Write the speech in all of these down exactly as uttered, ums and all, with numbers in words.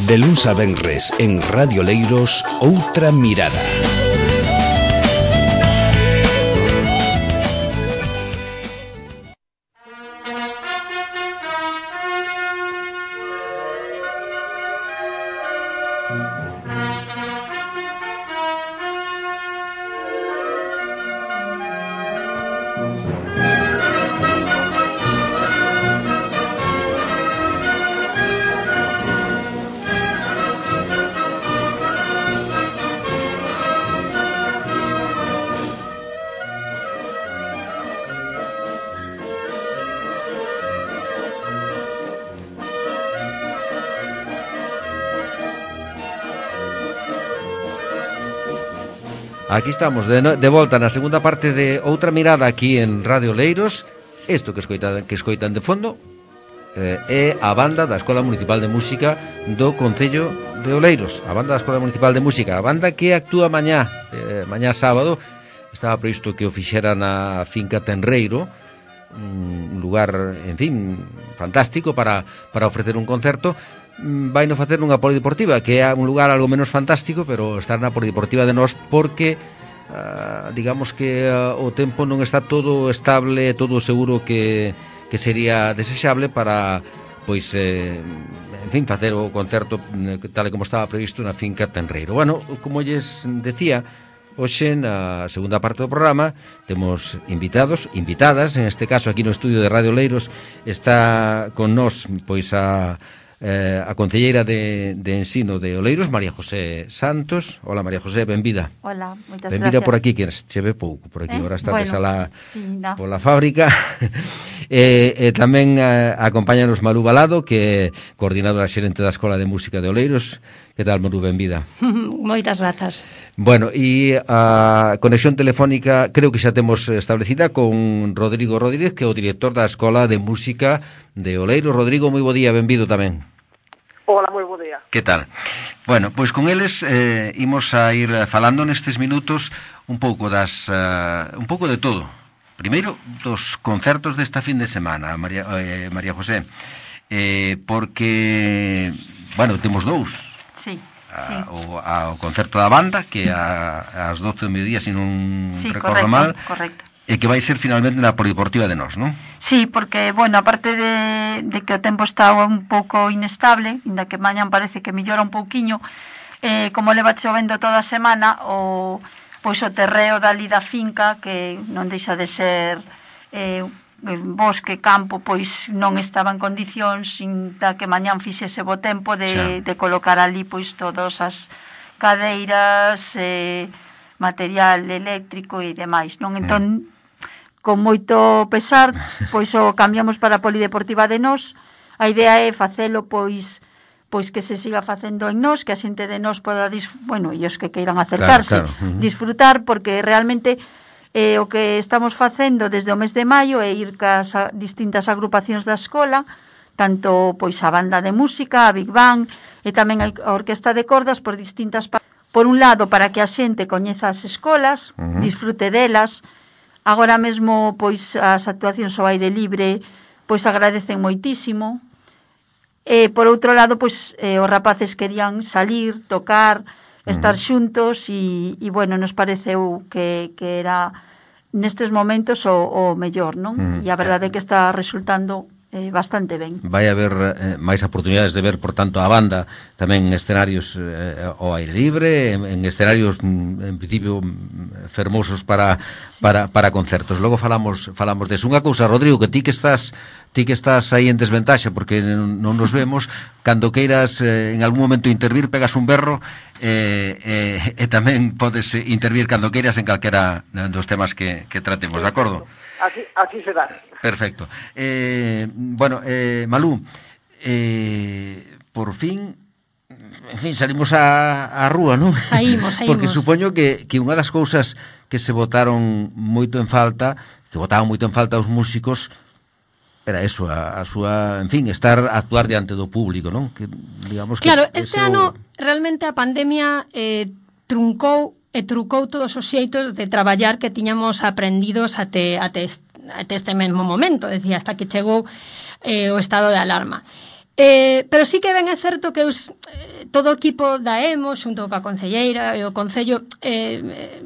De luns a venres en Radio Leiros, Outra Mirada. Aquí estamos, de, no, de volta na segunda parte de Outra Mirada aquí en Radio Leiros. Isto que escoitan, que escoitan de fondo eh, é a banda da Escola Municipal de Música do Concello de Oleiros. A banda da Escola Municipal de Música, a banda que actúa mañá, eh, mañá sábado. Estaba previsto que o fixera na finca Tenreiro, un lugar, en fin, fantástico para, para ofrecer un concerto. Vai no facer nunha polideportiva, que é un lugar algo menos fantástico, pero estar na polideportiva de nós porque uh, digamos que uh, o tempo non está todo estable, todo seguro que, que sería desexable para, pois, eh, en fin, facer o concerto tal e como estaba previsto na finca Tenreiro. Bueno, como lles decía, hoxe na segunda parte do programa temos invitados, invitadas, en este caso aquí no estudio de Radio Leiros está con nós, pois, a Eh, a concelleira de, de Ensino de Oleiros, María José Santos. Hola, María José, benvida. Hola, moitas benvida gracias. Por aquí, que che ve pouco por aquí, eh? Ahora está bueno, la, sí, no. pola fábrica. e, e tamén eh, acompáñanos Malú Balado, que é coordinadora xerente da Escola de Música de Oleiros. Que tal, Malú, benvida? Moitas grazas. Bueno, e a conexión telefónica creo que xa temos establecida con Rodrigo Rodríguez, que é o director da Escola de Música de Oleiros. Rodrigo, moi bo día, benvido tamén. Hola, moi bo día. Que tal? Bueno, pois con eles eh, imos a ir falando nestes minutos un pouco das uh, un pouco de todo. Primeiro, dos concertos desta fin de semana, María, eh, María José, eh, porque, bueno, temos dous. Sí, a, sí. O, a, o concerto da banda, que a, ás doce do mediodía, se non sí, recordo correcto, mal. Correcto. E que vai ser finalmente na polideportiva de nós, non? Sí, porque, bueno, aparte de, de que o tempo está un pouco inestable, inda que mañan parece que mellora un pouquiño, eh, como leva chovendo toda a semana, o, pois o terreo dali da finca, que non deixa de ser eh, bosque, campo, pois non estaba en condicións, inda que mañan fixese bo tempo de, de colocar ali pois todas as cadeiras, eh, material eléctrico e demais, non? Entón, mm. con moito pesar, pois o cambiamos para a polideportiva de nós. A idea é facelo, pois, pois que se siga facendo en nós, que a xente de nós poda, bueno, e os que queiran acercarse, claro, claro. Uh-huh. disfrutar, porque realmente eh, o que estamos facendo desde o mes de maio é ir cas a distintas agrupacións da escola, tanto pois a banda de música, a Big Bang, e tamén a orquesta de cordas por distintas partes. Por un lado, para que a xente coñeza as escolas, uh-huh. disfrute delas. Agora mesmo, pois, as actuacións ao aire libre, pois, agradecen moitísimo. E, por outro lado, pois, eh, os rapaces querían salir, tocar, estar uh-huh. xuntos, e, e, bueno, nos pareceu que, que era, nestes momentos, o, o mellor, non? Uh-huh. E a verdade é que está resultando eh, bastante ben. Vai haber eh, máis oportunidades de ver, por tanto, a banda tamén en escenarios eh, ao aire libre, en, en escenarios en principio fermosos para, sí. para, para concertos. Logo falamos falamos deso. Unha cousa, Rodrigo, que ti que estás ti que estás aí en desventaxa porque non nos vemos, cando queiras eh, en algún momento intervir, pegas un berro e eh, eh, eh, tamén podes intervir cando queiras en calquera dos temas que, que tratemos, de acordo? Así, así será. Perfecto. Eh, bueno, eh, Malú, eh, por fin, en fin, salimos a, a rúa, non? Saímos, saímos. Porque supoño que, que unha das cousas que se botaron moito en falta, que botaban moito en falta os músicos, era eso, a, a súa, en fin, estar a actuar diante do público, non? Que, digamos, claro, que este eso... ano realmente a pandemia eh, truncou e trucou todos os xeitos de traballar que tiñamos aprendidos até, até, até este mesmo momento, decía, hasta que chegou eh, o estado de alarma. Eh, pero sí que ben é certo que os, eh, todo o equipo da E M O, xunto coa concelleira e o Concello, eh, eh,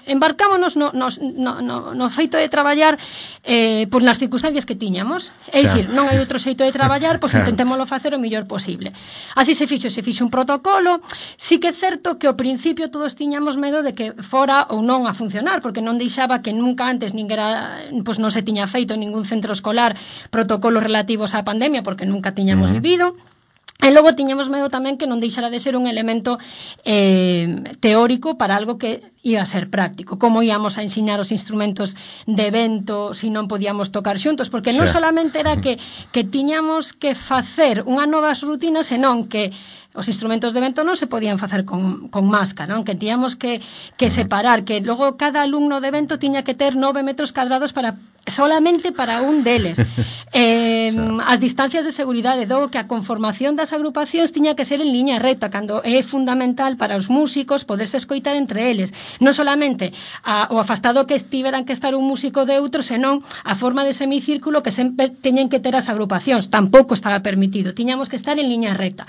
embarcámonos no, no, no, no, no feito de traballar eh, por nas circunstancias que tiñamos. É dicir, non hai outro xeito de traballar, pois intentémolo facer o mellor posible. Así se fixo, se fixo un protocolo. Sí que é certo que ao principio todos tiñamos medo de que fora ou non a funcionar, porque non deixaba que nunca antes ninguera, pois non se tiña feito en ningún centro escolar protocolos relativos á pandemia, porque nunca tiñamos uh-huh. vivido. E logo tiñamos medo tamén que non deixara de ser un elemento eh, teórico para algo que ia a ser práctico. Como íamos a ensinar os instrumentos de vento se non podíamos tocar xuntos? Porque non solamente era que, que tiñamos que facer unha novas rutinas, senón que os instrumentos de vento non se podían facer con, con máscara, non? Que tiñamos que, que separar, que logo cada alumno de vento tiña que ter nove metros cadrados para solamente para un deles. Eh, as distancias de seguridade, do que a conformación das agrupacións tiña que ser en liña recta, cando é fundamental para os músicos poderse escoitar entre eles. Non solamente a, o afastado que estiveran que estar un músico de outro, senón a forma de semicírculo que sempre teñen que ter as agrupacións. Tampouco estaba permitido. Tiñamos que estar en liña recta.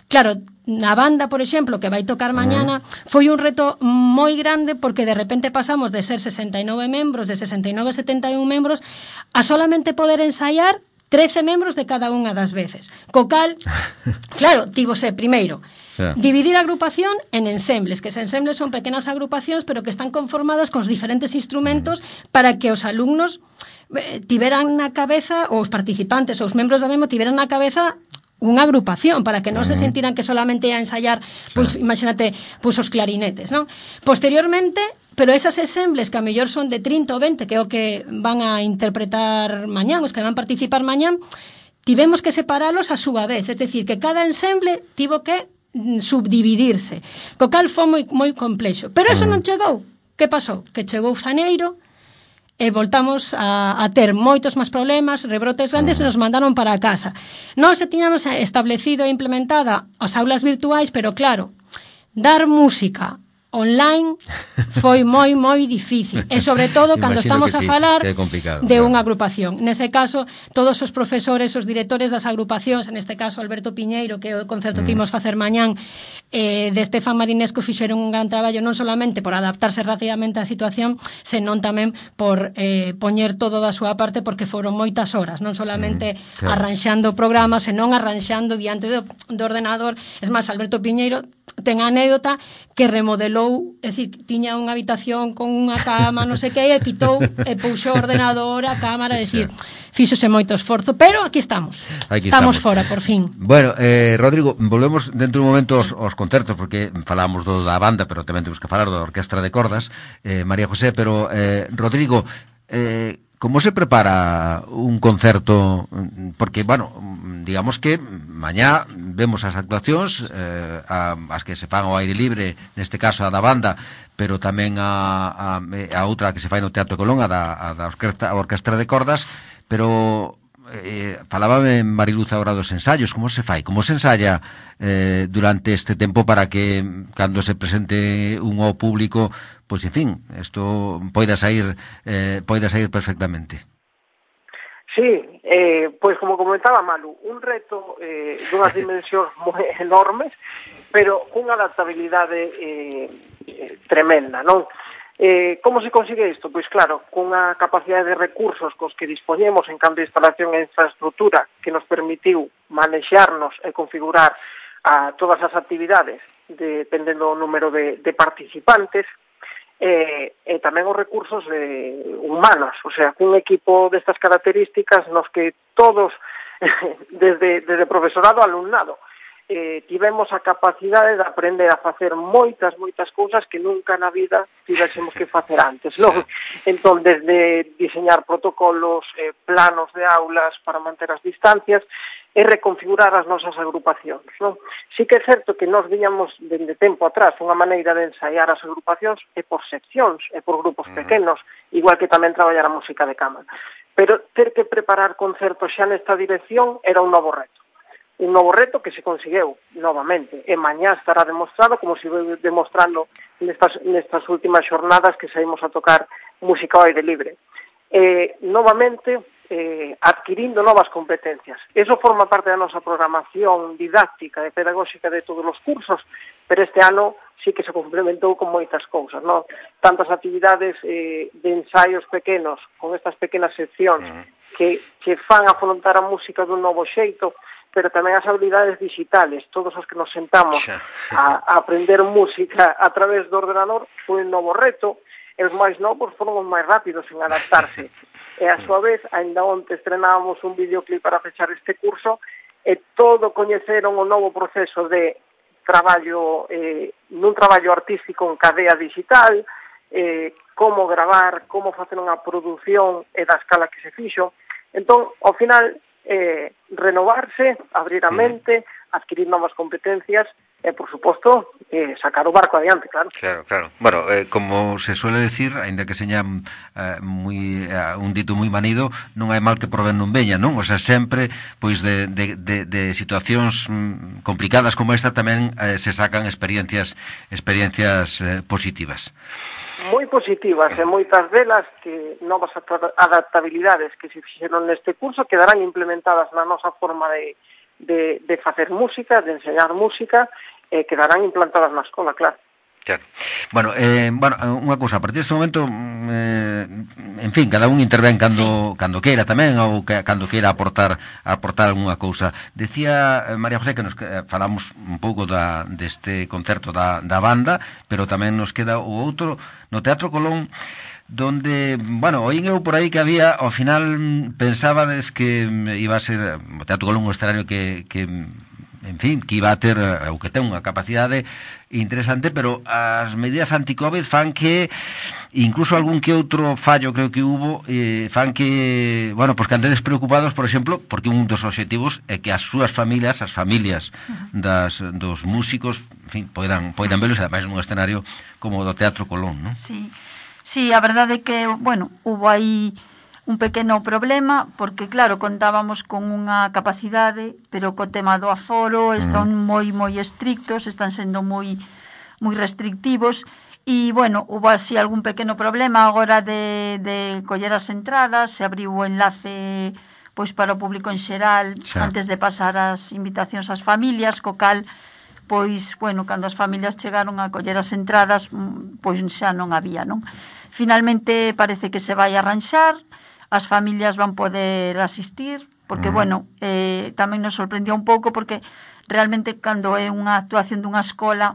Claro, na banda, por exemplo, que vai tocar mañana, foi un reto moi grande porque de repente pasamos de ser sesenta e nove membros, de sesenta e nove a setenta e un membros, a solamente poder ensaiar trece membros de cada unha das veces. Co cal, claro, tívose primeiro dividir a agrupación en ensembles, que os ensembles son pequenas agrupacións, pero que están conformadas con os diferentes instrumentos para que os alumnos eh, tiveran na cabeza, ou os participantes, ou os membros da M E M O tiveran na cabeza unha agrupación, para que non se sentiran que solamente ia a ensaiar, pois, imagínate, pois os clarinetes, non? Posteriormente, pero esas ensembles que a mellor son de trinta ou vinte, que é o que van a interpretar mañán, os que van a participar mañán, tivemos que separalos a súa vez, é dicir, que cada ensemble tivo que subdividirse, co cal foi moi, moi complexo. Pero eso non chegou. Que pasou? Que chegou xaneiro, e voltamos a, a ter moitos máis problemas, rebrotes grandes, e nos mandaron para a casa. Nós se tiñamos establecido e implementada as aulas virtuais, pero claro, dar música online foi moi, moi difícil. E sobre todo cando estamos a sí, falar de claro. unha agrupación. Nese caso, todos os profesores, os directores das agrupacións, en este caso Alberto Piñeiro, que é o concerto mm. que imos facer mañán, eh, de Estefan Marinesco, fixeron un gran traballo non solamente por adaptarse rapidamente á situación, senón tamén por eh, poñer todo da súa parte, porque foron moitas horas, non solamente mm, claro. arranxando programas, senón arranxando diante do, do ordenador. Es máis, Alberto Piñeiro ten a anécdota que remodelou, é dicir, tiña unha habitación con unha cama, non sei que, e quitou e puxou o ordenador, a cámara, é dicir, fíxose moito esforzo, pero aquí estamos. Aquí estamos, estamos fora, por fin. Bueno, eh, Rodrigo, volvemos dentro de un momento aos, aos concertos, porque falamos do da banda, pero tamén temos que falar da orquestra de cordas, eh, María José, pero, eh, Rodrigo, eh, como se prepara un concerto? Porque, bueno, digamos que mañá vemos as actuacións, eh, a, as que se fan ao aire libre, neste caso a da banda, pero tamén a, a, a outra que se fai no Teatro Colón, a da, a da orquestra, a orquestra de cordas, pero eh, falábame Mariluz agora dos ensaios. Como se fai? Como se ensaya eh, durante este tempo para que cando se presente un ao público, pois, en fin, isto poida sair eh, poida sair perfectamente? Sí, eh, pois como comentaba Malu, un reto eh, dunhas dimensións moi enormes, pero cunha adaptabilidade eh, eh, tremenda, non? Eh, como se consigue isto? Pois claro, cunha capacidade de recursos cos que dispoñemos en canto de instalación e infraestructura que nos permitiu manexarnos e configurar a todas as actividades dependendo do número de, de participantes, e, e tamén os recursos eh, humanos, o sea, cun equipo destas características nos que todos, desde, desde profesorado a alumnado, eh, tivemos a capacidade de aprender a facer moitas, moitas cousas que nunca na vida tivésemos que facer antes, non? Entón, desde diseñar protocolos, eh, planos de aulas para manter as distancias, e reconfigurar as nosas agrupacións, non? Sí que é certo que nós viñamos dende tempo atrás unha maneira de ensaiar as agrupacións e por seccións, e por grupos pequenos, igual que tamén traballar a música de cámara. Pero ter que preparar concertos xa nesta dirección era un novo reto. Un novo reto que se conseguiu novamente, e mañá estará demostrado, como se vai demostrando nestas, nestas últimas xornadas que saímos a tocar música ao aire libre. Eh, novamente, eh, adquirindo novas competencias. Eso forma parte da nosa programación didáctica e pedagóxica de todos os cursos, pero este ano sí que se complementou con moitas cousas, non? Tantas actividades eh, de ensaios pequenos, con estas pequenas seccións, que, que fan afrontar a música dun novo xeito, pero tamén as habilidades digitales, todos os que nos sentamos a, a aprender música a través do ordenador, foi un novo reto, e os máis novos foron os máis rápidos en adaptarse. E a súa vez, ainda onte estrenábamos un videoclip para fechar este curso, e todo coñeceron o novo proceso de traballo, eh, nun traballo artístico en cadea digital, eh, como gravar, como facer unha produción e da escala que se fixo. Entón, ao final, eh, renovarse, abrir a mente, adquirir novas competencias e, por suposto, eh, sacar o barco adiante, claro. Claro, claro. Bueno, eh, como se suele decir, ainda que seña eh, muy, eh, un dito moi manido, non hai mal que por ben non veña, non? O sea, sempre, pois, de, de, de, de situacións mm, complicadas como esta tamén eh, se sacan experiencias experiencias eh, positivas. Moi positivas, e moitas delas que novas adaptabilidades que se fixeron neste curso quedarán implementadas na nosa forma de, de, de facer música, de enseñar música, e quedarán implantadas na escola, claro. Claro. Bueno, eh, bueno, unha cousa, a partir deste momento, eh, en fin, cada un intervén cando, sí. cando queira tamén, ou que, cando queira aportar aportar algunha cousa. Decía eh, María José que nos eh, falamos un pouco da, deste concerto da, da banda, pero tamén nos queda o outro no Teatro Colón, donde, bueno, oín eu por aí que había, ao final pensábades que iba a ser o Teatro Colón un escenario que, que en fin, que iba a ter, ou que ten unha capacidade interesante, pero as medidas anti-Covid fan que incluso algún que outro fallo creo que hubo, eh, fan que, bueno, pois que andedes preocupados, por exemplo, porque un dos obxectivos é que as súas familias, as familias das, dos músicos, en fin, poidan, poidan velos, ademais nun escenario como o do Teatro Colón, non? Sí, sí, a verdade é que, bueno, hubo aí un pequeno problema, porque claro, contábamos con unha capacidade, pero co tema do aforo son moi moi estrictos, están sendo moi moi restrictivos, e bueno, hubo así algún pequeno problema agora de, de coller as entradas, se abriu o enlace pois para o público en xeral, xa, antes de pasar as invitacións ás familias, co cal pois, bueno, cando as familias chegaron a coller as entradas, pois xa non había, non? Finalmente parece que se vai arranxar, as familias van poder asistir, porque, uh-huh. bueno, eh, tamén nos sorprendió un pouco, porque realmente cando é unha actuación dunha escola,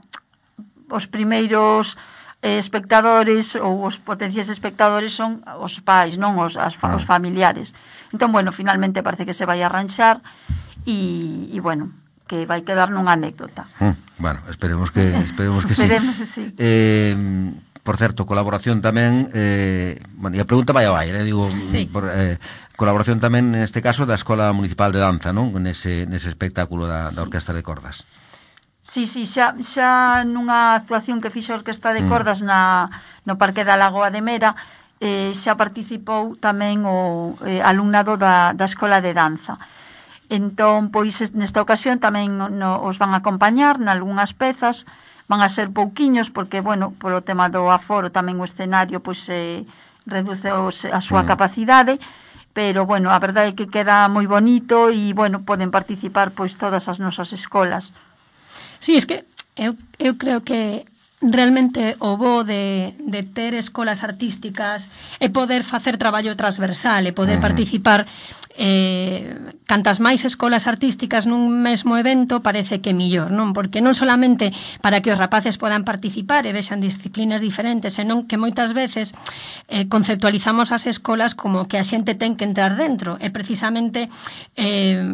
os primeiros eh, espectadores ou os potenciais espectadores son os pais, non os, as, uh-huh. os familiares. Entón, bueno, finalmente parece que se vai arranxar e, e bueno, que vai quedar nunha anécdota. Uh, bueno, esperemos que, esperemos que esperemos sí. Que sí. Eh... Por certo, colaboración tamén, eh, bueno, e a pregunta vai ao aire, eh, digo, sí. por, eh, colaboración tamén neste caso da Escola Municipal de Danza, non? Nese, nese espectáculo da, da Orquestra de Cordas. Sí, sí, xa, xa nunha actuación que fixo a Orquestra de Cordas mm. na, no Parque da Lagoa de Mera, eh, xa participou tamén o eh, alumnado da, da Escola de Danza. Entón, pois, nesta ocasión tamén no, os van a acompañar nalgúnas pezas, van a ser pouquiños, porque, bueno, polo tema do aforo tamén o escenario pois eh, reduce os, a súa mm. capacidade, pero, bueno, a verdade é que queda moi bonito e, bueno, poden participar pois todas as nosas escolas. Sí, es que eu, eu creo que realmente o bo de, de ter escolas artísticas é poder facer traballo transversal e poder uh-huh. participar eh, cantas máis escolas artísticas nun mesmo evento parece que millor, non? Porque non solamente para que os rapaces podan participar e vexan disciplinas diferentes, senón que moitas veces eh, conceptualizamos as escolas como que a xente ten que entrar dentro, e precisamente eh,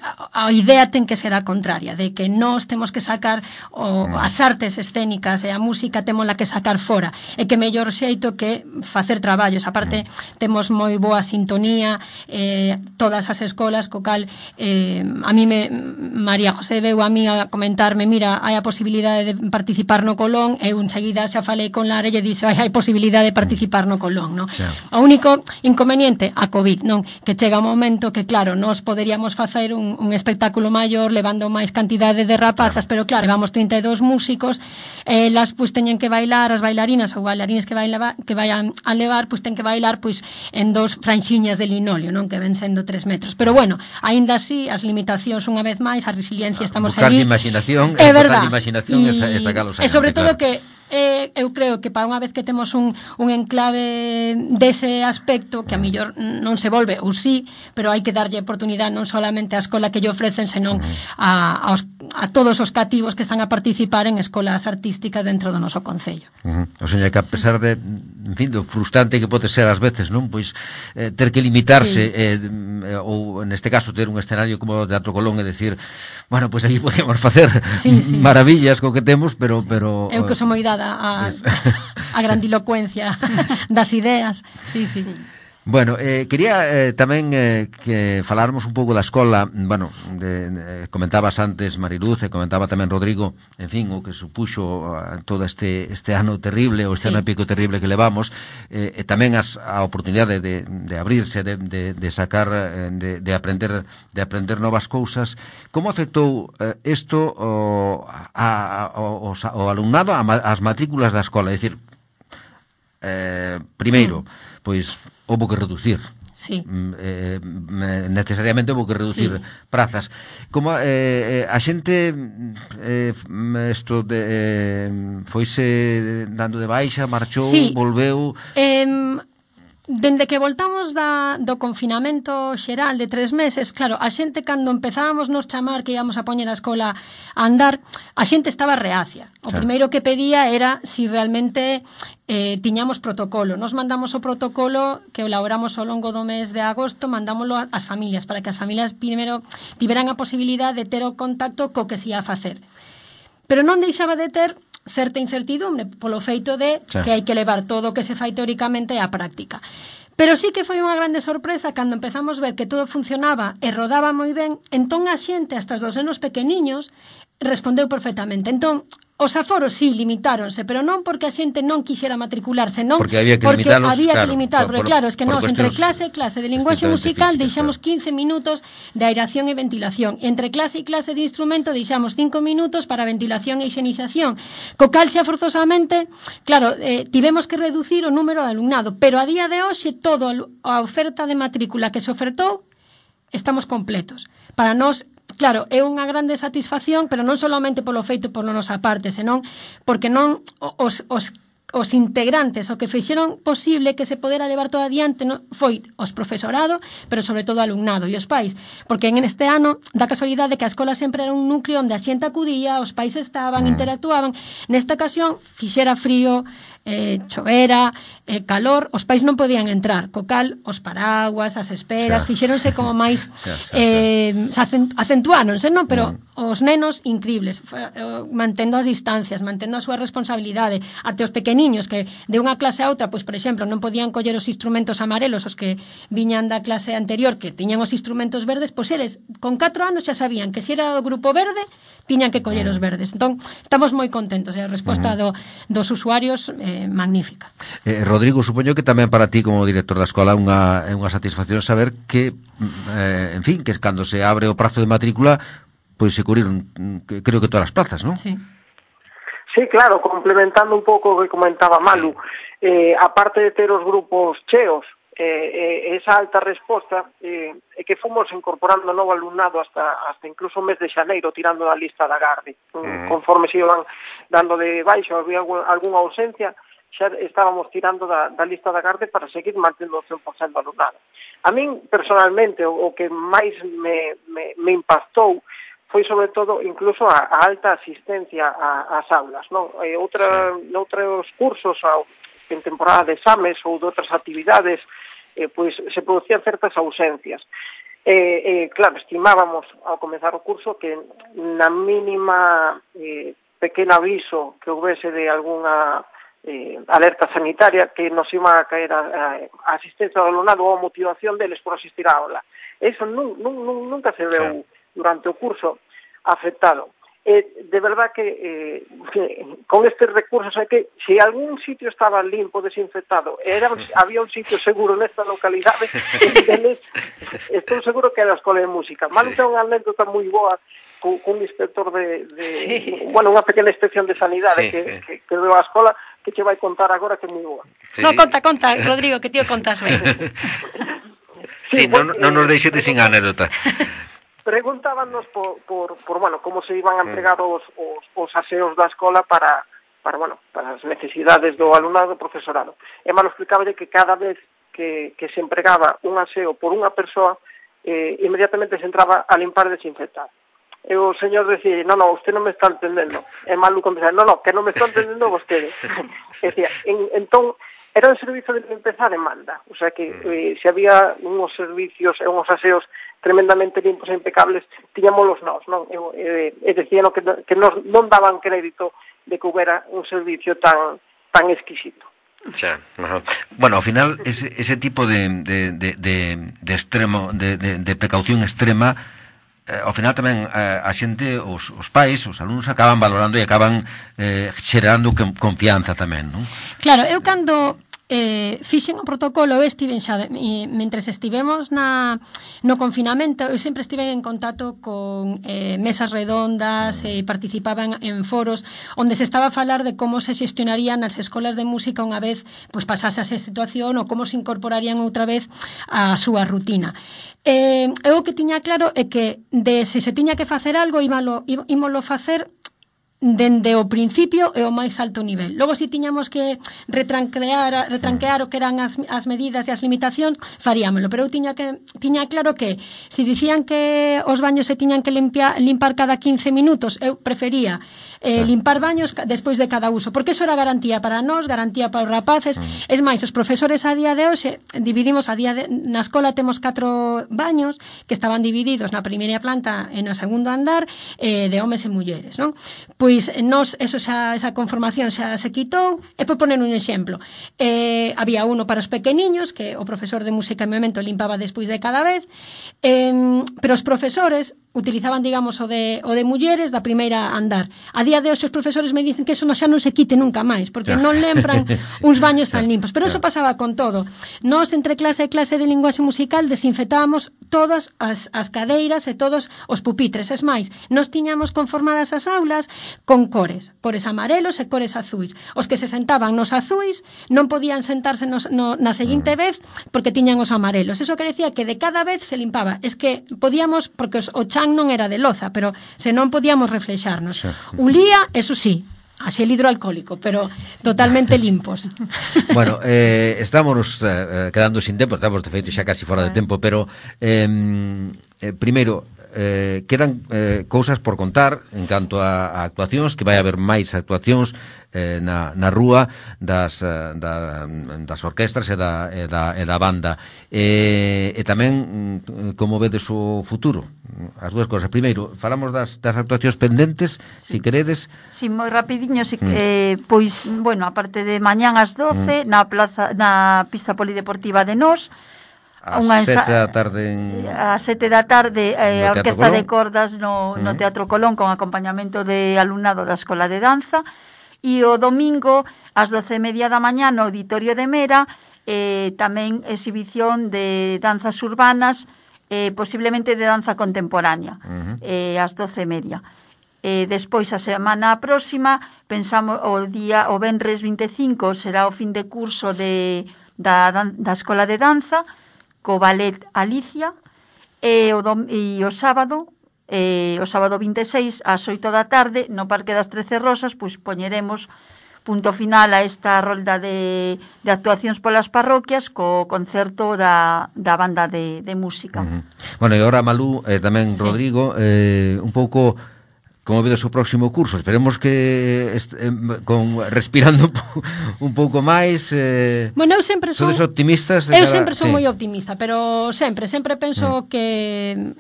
a, a idea ten que ser a contraria, de que nós temos que sacar o, as artes escénicas e a música témola que sacar fora, e que mellor xeito que facer traballos. A parte, temos moi boa sintonía, eh, eh, todas as escolas, co cal eh, a mí me, María José veu a mí a comentarme, mira, hai a posibilidade de participar no Colón, e un seguida xa falei con Lara e lle dixo, hai, hai posibilidade de participar no Colón, non? Xa. O único inconveniente, a COVID, non? Que chega un momento que, claro, nós poderíamos facer un, un espectáculo maior levando máis cantidade de rapazas, claro. Pero claro, levamos trinta e dous músicos, elas pois teñen que bailar, as bailarinas ou bailarines que, baila, que vayan a levar, pois ten que bailar pois en dos franxiñas de linoleo, non? Que ven sendo tres metros. Pero bueno, aínda así, as limitacións unha vez máis, a resiliencia, estamos buscar ali. Buscar de imaginación, é verdad. De imaginación e, e sacalos E sobre todo claro. que Eh, eu creo que para unha vez que temos un, un enclave dese aspecto, que a millor non se volve, ou sí, pero hai que darlle oportunidade non solamente á escola que lle ofrecen, senón a, aos, a todos os cativos que están a participar en escolas artísticas dentro do noso concello. Uh -huh. O sea, que a pesar de, en fin, do frustrante que pode ser ás veces, non? Pois eh, ter que limitarse, sí. eh, ou neste caso ter un escenario como o Teatro Colón e decir, bueno, pois aquí podemos facer sí, sí. maravillas co que temos, pero... pero eu que sou moi dada a, a grandilocuencia das ideas, sí, sí. Bueno, eh, quería eh, tamén eh, que faláramos un pouco da escola, bueno, de, de, comentabas antes Mariluz e comentaba tamén Rodrigo, en fin, o que supuxo uh, todo este este ano terrible, o este sí. ano épico terrible que levamos, eh, e tamén as, a oportunidade de, de abrirse, de, de, de sacar, de, de aprender de aprender novas cousas. Como afectou eh, isto o, a, a, o, o alumnado ás matrículas da escola? É dicir, eh, primeiro, mm. pois houve que reducir. Sí. Eh, necesariamente houve que reducir sí. prazas. Como eh, a xente eh, isto de eh, foise dando de baixa, marchou, sí. volveu. Eh, Dende que voltamos da, do confinamento xeral de tres meses, claro, a xente cando empezábamos nos chamar que íamos a poñer a escola a andar, a xente estaba reacia. O claro. primeiro que pedía era si realmente eh, tiñamos protocolo. Nos mandamos o protocolo que elaboramos ao longo do mes de agosto, mandámoslo ás familias, para que as familias primeiro tiveran a posibilidade de ter o contacto co que se ia a facer. Pero non deixaba de ter certa incertidumbre polo feito de sí. que hai que levar todo o que se fai teóricamente á práctica. Pero sí que foi unha grande sorpresa cando empezamos a ver que todo funcionaba e rodaba moi ben, entón a xente, hasta os dos nenos pequeniños, respondeu perfectamente. Entón, os aforos sí, limitáronse, pero non porque a xente non quixera matricularse, non porque había que porque limitarlos, había claro, que limitar, por, porque por, claro, es que nós entre cuestiones, clase e clase de linguaxe musical físicas, deixamos claro. quince minutos de aeración e ventilación, e entre clase e clase de instrumento deixamos cinco minutos para ventilación e higienización, co cal xa forzosamente, claro, eh, tivemos que reducir o número de alumnado, pero a día de hoxe todo a oferta de matrícula que se ofertou estamos completos. Para nós claro, é unha grande satisfacción, pero non solamente polo feito por nosa parte, senón porque non os, os, os integrantes, o que fixeron posible que se podera levar todo adiante non, foi os profesorado, pero sobre todo o alumnado e os pais, porque en este ano da casualidade que a escola sempre era un núcleo onde a xente acudía, os pais estaban, interactuaban. Nesta ocasión fixera frío, eh, chovera, eh, calor, os pais non podían entrar, co cal os paraguas, as esperas, xa. Fixéronse como máis xa, xa, xa. eh, acentuáronse, non? Pero mm. os nenos incribles, mantendo as distancias, mantendo a súa responsabilidade, até os pequeniños que de unha clase a outra, pois por exemplo, non podían coller os instrumentos amarelos, os que viñan da clase anterior, que tiñan os instrumentos verdes, pois eles con catro anos xa sabían que se era o grupo verde, tiñan que coller os verdes. Entón, estamos moi contentos, e a resposta do, dos usuarios eh, magnífica. Eh, Rodrigo, supoño que tamén para ti como director da escola unha, é unha satisfacción saber que, eh, en fin, que cando se abre o prazo de matrícula, pois se cubriron, que, creo que todas as plazas, non? Sí. Sí, claro, complementando un pouco o que comentaba Malu, eh, aparte de ter os grupos cheos, eh, eh, esa alta resposta, eh, é que fomos incorporando novo alumnado hasta hasta incluso o mes de xaneiro, tirando da lista da Garde. Mm. Conforme se iban dando de baixo, había algunha ausencia, xa estábamos tirando da, da lista da Garde para seguir mantendo o cen por cento do alumnado. A min, personalmente, o, o que máis me, me, me impactou foi sobre todo incluso a, a alta asistencia a, ás aulas, non? E outra, noutros cursos, a, en temporada de exames ou de outras actividades, eh, pois se producían certas ausencias. Eh, eh, claro, estimábamos ao comezar o curso que na mínima eh, pequeno aviso que houvese de algunha eh, alerta sanitaria que nos iba a caer a, a asistencia ao alumnado ou a motivación deles por asistir á aula. Eso nun, nun, nun, nunca se veu durante o curso afectado. Eh, de verdad que, eh, que con estes recursos é que se algún sitio estaba limpo, desinfectado, era, había un sitio seguro nesta localidade, deles, estou seguro que era a Escola de Música. Malu ten unha anécdota moi boa con un inspector de, de sí. bueno, unha pequena inspección de sanidade sí, que, sí. que, que deu a escola que che vai contar agora que é moi boa. Sí. No, conta, conta, Rodrigo, que tío contas ben. Sí, sí, non no, no nos deixetes sin anécdota. Preguntábanos por, por, por, bueno, como se iban a entregar os, os, os aseos da escola para, para, bueno, para as necesidades do alumnado e do profesorado. E malo explicaba que cada vez que, que se empregaba un aseo por unha persoa, eh, inmediatamente se entraba a limpar e desinfectar. E o señor decía, no, no, usted non me está entendendo. E malo contestaba, no, no, que non me está entendendo vostede. E decía, en, entón, era un servicio de limpeza a demanda, o sea que eh, se había unos servicios e unos aseos tremendamente limpos e impecables, tiñámolos nós, non? E, e, e decían que, que nos, non daban crédito de que houbera un servicio tan tan exquisito. Xa, uh-huh. Bueno, ao final, ese, ese tipo de, de, de, de, de extremo, de, de, de precaución extrema, eh, ao final tamén eh, a xente, os, os pais, os alumnos acaban valorando e acaban eh, xerando confianza tamén, non? Claro, eu cando eh, fixen o protocolo, eu estiven xa, e, mentres estivemos na, no confinamento, eu sempre estive en contacto con eh, mesas redondas e eh, participaban en foros onde se estaba a falar de como se xestionarían as escolas de música unha vez pues, pasase esa situación ou como se incorporarían outra vez á súa rutina. Eh, eu o que tiña claro é que de se se tiña que facer algo ímolo, ímolo facer dende o principio e o máis alto nivel. Logo, se si tiñamos que retranquear, retranquear o que eran as, as medidas e as limitacións, faríamolo. Pero eu tiña, que, tiña claro que se si dicían que os baños se tiñan que limpia, limpar cada quince minutos, eu prefería eh, limpar baños despois de cada uso, porque eso era garantía para nós, garantía para os rapaces. Mm. Es máis, os profesores a día de hoxe dividimos, a día de, na escola temos catro baños que estaban divididos na primeira planta e na segundo andar eh, de homes e mulleres, non? Pois nos, eso xa, esa conformación xa se quitou, e por poner un exemplo, eh, había uno para os pequeniños, que o profesor de música e movimento limpaba despois de cada vez, eh, pero os profesores utilizaban, digamos, o de, o de mulleres da primeira andar. A día de hoxe os profesores me dicen que eso xa non se quite nunca máis, porque non lembran uns baños tan limpos, pero eso pasaba con todo. Nós, entre clase e clase de linguaxe musical, desinfectábamos todas as, as cadeiras e todos os pupitres. Es máis, nós tiñamos conformadas as aulas con cores, cores amarelos e cores azuis. Os que se sentaban nos azuis non podían sentarse nos, no, na seguinte vez porque tiñan os amarelos. Eso que decía que de cada vez se limpaba. Es que podíamos, porque os, o chan non era de loza, pero se non podíamos reflexarnos. Ulía, eso sí, a xel hidroalcohólico, pero totalmente limpos. Bueno, eh, estamos eh, quedando sin tempo, estamos de feito xa casi fora de tempo, pero eh, eh, primeiro, Eh, quedan eh, cousas por contar en canto a, a actuacións, que vai haber máis actuacións eh, na, na rúa das, da, das orquestras e da, e da, e da banda, e, e tamén como vedes o futuro, as dúas cousas. Primeiro, falamos das, das actuacións pendentes, sí. Si queredes. Si, sí, moi rapidiño, si, mm. eh, pois, bueno, aparte de mañán ás doce, mm. na plaza, na pista polideportiva de Nós, a sete da tarde en... a sete da tarde eh, a Orquesta de Cordas no, no Teatro Colón, con acompañamento de alumnado da Escola de Danza, e o domingo ás doce e media da mañá no Auditorio de Mera, eh, tamén exhibición de danzas urbanas, eh, posiblemente de danza contemporánea, uh-huh. eh, ás doce e media. Eh, despois, a semana próxima, pensamos o día o venres vinte e cinco será o fin de curso de, da, da Escola de Danza, co ballet Alicia, e o, dom, e o sábado, e o sábado vinte e seis, ás oito da tarde, no Parque das Trece Rosas, pois poñeremos punto final a esta rolda de, de actuacións polas parroquias co concerto da, da banda de, de música. Uh-huh. Bueno, e agora Malú, eh, tamén sí. Rodrigo, eh, un pouco... Como vedes o próximo curso? Esperemos que est, eh, con respirando un pouco máis. Eh, bueno, eu sempre son optimistas. Eu cada... sempre son sí. moi optimista, pero sempre, sempre penso mm. que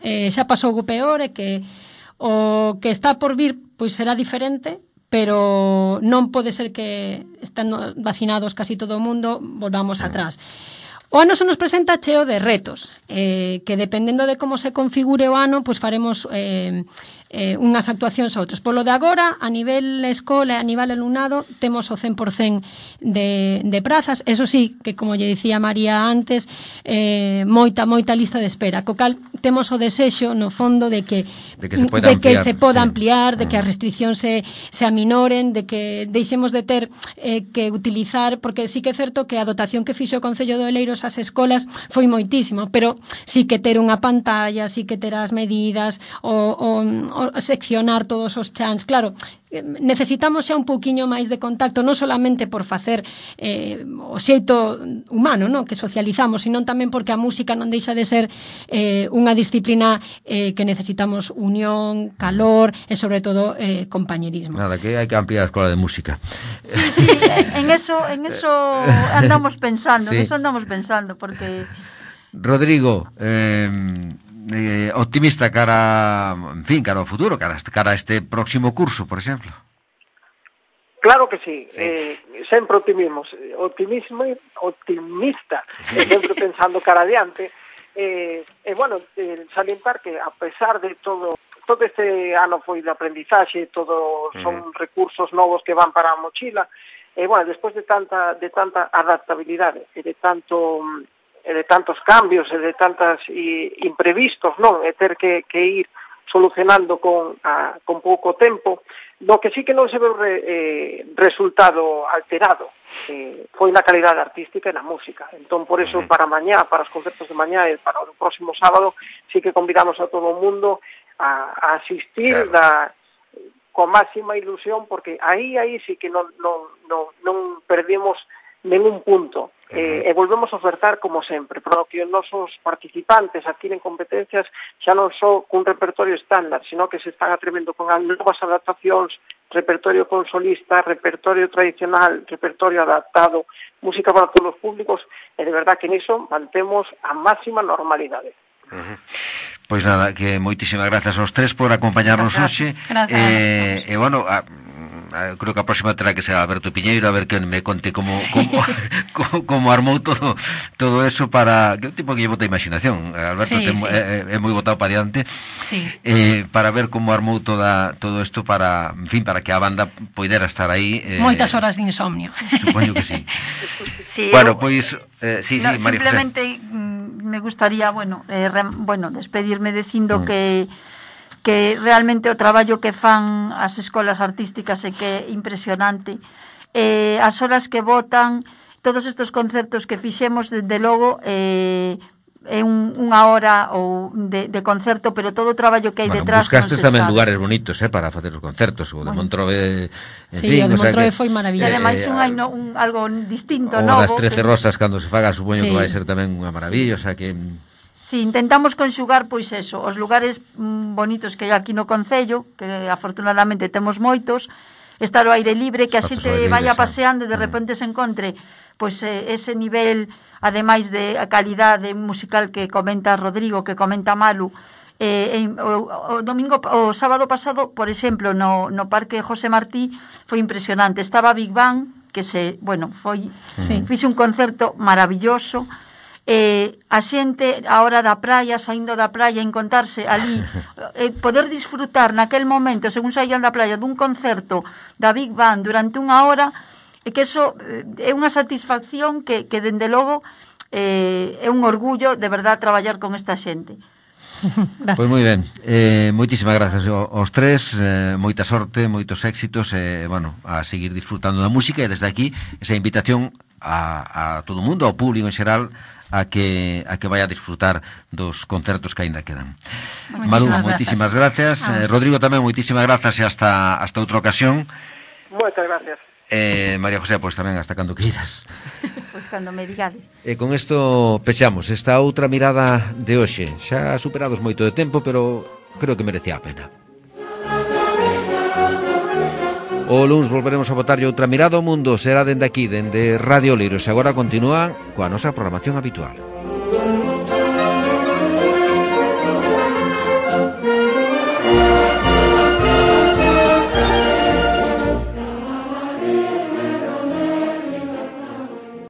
eh, xa pasou o peor e que o que está por vir pois será diferente, pero non pode ser que estando vacinados casi todo o mundo volvamos atrás. O ano se nos presenta cheo de retos, eh, que dependendo de como se configure o ano, pues faremos eh, eh, unhas actuacións a outras. Polo de agora, a nivel escola, a nivel alumnado, temos o cen por cen de, de prazas. Eso sí, que como lle dicía María antes, eh, moita, moita lista de espera. Co cal, temos o desexo, no fondo, de que, de que se poda de ampliar, que se poda sí. ampliar, de que as restriccións se, se aminoren, de que deixemos de ter eh, que utilizar, porque sí que é certo que a dotación que fixo o Concello de Oleiros ás escolas foi moitísimo, pero sí que ter unha pantalla, sí que ter as medidas, o, o, o seccionar todos os chans, claro, necesitamos xa un pouquiño máis de contacto, non solamente por facer eh, o xeito humano, no? Que socializamos, sino tamén porque a música non deixa de ser eh, unha disciplina eh, que necesitamos unión, calor e sobre todo eh, compañerismo. Nada, que hai que ampliar a escola de música. Sí, sí, en eso, en eso andamos pensando, sí. en eso andamos pensando, porque... Rodrigo, eh, eh, optimista cara, en fin, cara ao futuro, cara, cara a este próximo curso, por exemplo. Claro que sí, sí. Eh, sempre optimismo, optimismo, optimista, sí. Sempre pensando cara adiante. E, eh, eh, bueno, eh, salientar que a pesar de todo, todo este ano foi de aprendizaxe, todos son uh-huh. recursos novos que van para a mochila, e eh, bueno, despois de tanta de tanta adaptabilidade e de tanto e de tantos cambios e de tantas e, imprevistos, non? E ter que, que ir solucionando con, a, con pouco tempo, no que sí que non se ve re, eh, resultado alterado, eh, foi na calidade artística e na música. Entón, por eso, para mañá, para os concertos de mañá e para o próximo sábado, sí que convidamos a todo o mundo a, a asistir claro. da, con máxima ilusión, porque aí, aí sí que non, non, non, non perdimos ningún punto. Eh, e volvemos a ofertar como sempre, pero que os nosos participantes adquiren competencias xa non só cun repertorio estándar, sino que se están atrevendo con novas adaptacións, repertorio con solista, repertorio tradicional, repertorio adaptado, música para todos os públicos, e de verdad que niso mantemos a máxima normalidade. Uh-huh. Pois nada, que moitísimas grazas aos tres por acompañarnos hoxe. Eh, e bueno, a, creo que a próxima terá que ser Alberto Piñeiro, a ver que me conte como sí. como, como, como armou todo todo eso para... Que é un tipo que lle bota imaginación. Alberto sí, ten, sí. É, é moi botado para diante. Sí. Eh, para ver como armou toda, todo isto para, en fin, para que a banda poidera estar aí. Eh, Moitas horas de insomnio. Supoño que sí. Sí, bueno, eu, pois... Eh, sí, no, sí, María simplemente José. me gustaría, bueno, eh, re, bueno, despedirme dicindo mm. que que realmente o traballo que fan as escolas artísticas é que é impresionante. Eh, as horas que botan, todos estes concertos que fixemos, desde logo, eh, é un, unha hora ou de, de concerto, pero todo o traballo que hai bueno, detrás... Buscastes non tamén sabe. lugares bonitos, eh, para facer os concertos, o de bueno. Montrove... En sí, fin, o de Montrove o sea que, foi maravilloso. E ademais eh, un, hai no, un, algo distinto, o novo. O das trece que... rosas, cando se faga, supoño sí. que vai ser tamén unha maravilla, o sea que... Sí, intentamos conxugar, pois eso, os lugares mm, bonitos que hai aquí no Concello, que afortunadamente temos moitos, estar ao aire libre, que a xente vaya paseando e de repente se encontre pois eh, ese nivel, ademais de a calidade musical que comenta Rodrigo, que comenta Malu. Eh, en, o, o domingo, o sábado pasado, por exemplo, no, no Parque José Martí, foi impresionante. Estaba Big Bang, que se, bueno, foi, sí. fixe un concerto maravilloso. Eh, a xente a hora da praia, saindo da praia, encontrarse ali, eh, poder disfrutar naquel momento, según saían da praia, dun concerto da Big Band durante unha hora, e que eso eh, é unha satisfacción que, que dende logo eh, é un orgullo de verdad traballar con esta xente. Pois moi ben, eh, moitísimas grazas aos tres, eh, moita sorte, moitos éxitos, e eh, bueno, a seguir disfrutando da música, e desde aquí esa invitación a, a todo o mundo, ao público en xeral, a que a que vaya a disfrutar dos concertos que aínda quedan. Malu, moitísimas gracias. Eh, Rodrigo tamén, moitísimas grazas, e hasta hasta outra ocasión. Moitas gracias. Eh, María José, pois pues, tamén hasta cando queiras. Pois pues cando me digades. E con isto pechamos esta outra mirada de hoxe. Xa superados moito de tempo, pero creo que merecía a pena. O luns volveremos a botarlle outra mirada ao mundo. Será dende aquí, dende Radio Oleiros. E agora continúa coa nosa programación habitual.